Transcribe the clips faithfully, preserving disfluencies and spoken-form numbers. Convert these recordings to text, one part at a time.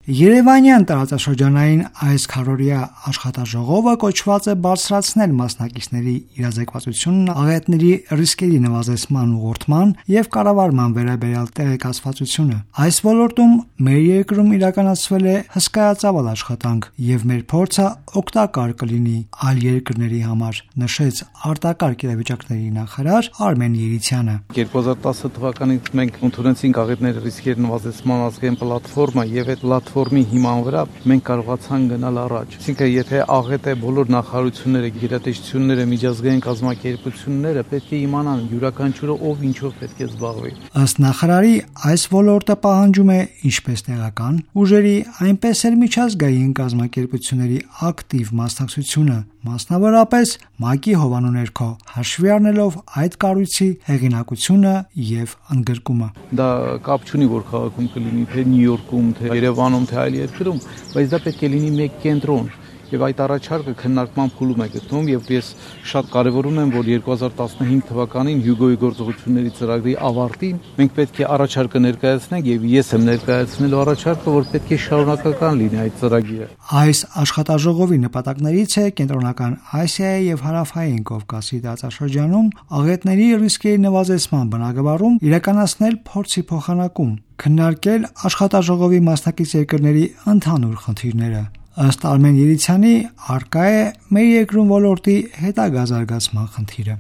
Երևանյան տարածաշրջանային այս քառօրյա աշխատաժողովը կոչված է բարձրացնել մասնակիցների իրազեկվածությունն աղետների ռիսկերի նվազեցման ուղղորդման եւ կառավարման վերաբերյալ տեղեկացվածությունը։ Այս ոլորտում մեր երկրում իրականացվել է հսկայածավալ աշխատանք եւ մեր փորձը օգտակար կլինի այլ երկրների համար, նշեց արտակարգ իրավիճակների նախարար Արմեն Երիցյանը։ երկու հազար տասը թվականից մենք ընդունեցինք աղետների ռիսկերի նվազեցման ազգային պլատֆորմա եւ այդ պլատֆորմի հիման վրա մենք կարողացանք գնալ առաջ։ Այսինքն, եթե աղետ է բոլոր նախարարությունները, գերատեսչությունները, միջազգային կազմակերպությունները պետք է իմանան յուրաքանչյուրը ով ինչով պետք է զբաղվի։ Ըստ նախարարի, այս ոլորտը պահանջում է ինչպես տեղական ուժերի, այնպես էլ միջազգային կազմակերպությունների ակտիվ մասնակցությունը, մասնավորապես ՄԱԿ-ի հովանու ներքո, հաշվի առնելով այդ կառույցի հեղինակությունը եւ ընդգրկումը։ Դա կապ չունի, որ քաղաքում կլինի թե Նյու Յորքում, թե Երևանում, թե այլ երկրում, բայց դա պետք է լինի մեկ կենտրոն։ Եվ այդ առաջարկը քննարկման փուլում է գտնվում եւ ես շատ կարեւորում եմ, որ երկու հազար տասնհինգ թվականին Հյուգոյի գործողությունների ծրագրի ավարտին մենք պետք է առաջարկը ներկայացնենք եւ ես եմ ներկայացնելու առաջարկը, որ պետք է շարունակական լինի այդ ծրագիրը։ Այս աշխատաժողովի նպատակներից է կենտրոնական Ասիայի եւ Հարավային Կովկասի տարածաշրջանում աղետների ռիսկերի նվազեցման բնագավառում իրականացնել փորձի փոխանակում, քննարկել աշխատաժողովի մասնակից երկրների ընդհանուր խնդիրները։ Ըստ Արմեն Երիցյանի, առկա է մեր երկրում ոլորտի հետագա զարգացման խնդիրը։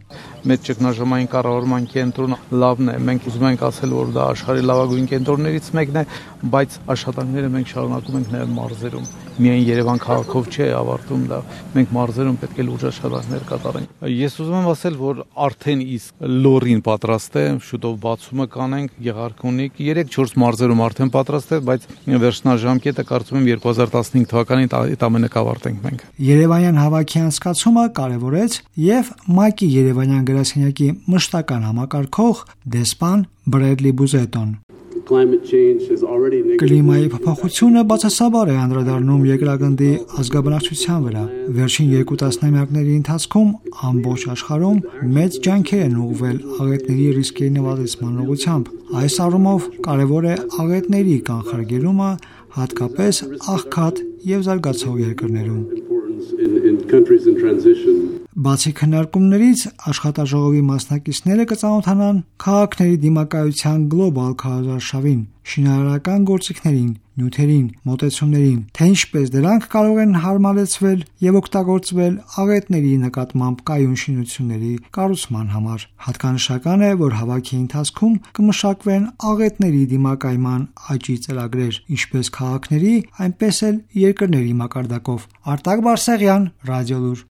Մեր ճգնաժամային կառավարման կենտրոնը լավն է, մենք ուզում ենք ասել, որ դա աշխարհի լավագույն կենտրոններից մեկն է, բայց աշխատանքները մենք շարունակում ենք նաև մարզերում։ Միայն Երևան քաղաքով չէ ավարտում դա, մենք մարզերում պետք է լուրջ աշխատանքներ կատարենք։ Ես ուզում եմ ասել, որ արդեն իսկ լորին պատրաստ է, շուտով բացումը կանենք, Գեղարքունիք, երեք-չորս մարզերում արդեն պատրաստ է, բայց վերջնաժամկետը կարծում եմ երկու հազար տասնհինգ թվականին այդ ամենը կավարտենք մենք։ Երևանյան հավաքի անցկացումը կարևորեց եւ ՄԱԿ-ի Երևանյան գրասենյակի մշտական համակարգող դեսպան Բրեդլի Բուզետոն։ Կլիմայի փոփոխությունը բացասաբար է անդրադառնում երկրագնդի ազգաբնակչության վրա։ Վերջին երկու տասնամյակների ընթացքում ամբողջ աշխարհում մեծ ջանքեր են ուղղվել աղետների ռիսկերի նվազեցման ուղղությամբ։ Այս առումով կարևոր է աղետների կանխարգելումը, հատկապես աղքատ եւ զարգացող երկրներում։ Բացի քննարկումներից աշխատաժողովի մասնակիցները կծանոթանան քաղաքների դիմակայության գլոբալ քարոզարշավին, շինարարական գործիքներին, նյութերին, մոտեցումներին, թե ինչպես դրանք կարող են հարմարեցվել եւ օգտագործվել աղետների նկատմամբ կայուն շինությունների կառուցման համար։ Հատկանշական է, որ հավաքի ընթացքում կմշակվեն աղետների դիմակայման աճի ծրագրեր, ինչպես քաղաքների, այնպես էլ երկրների մակարդակով։ Արտակ Բարսեղյան, Ռադիոլուր։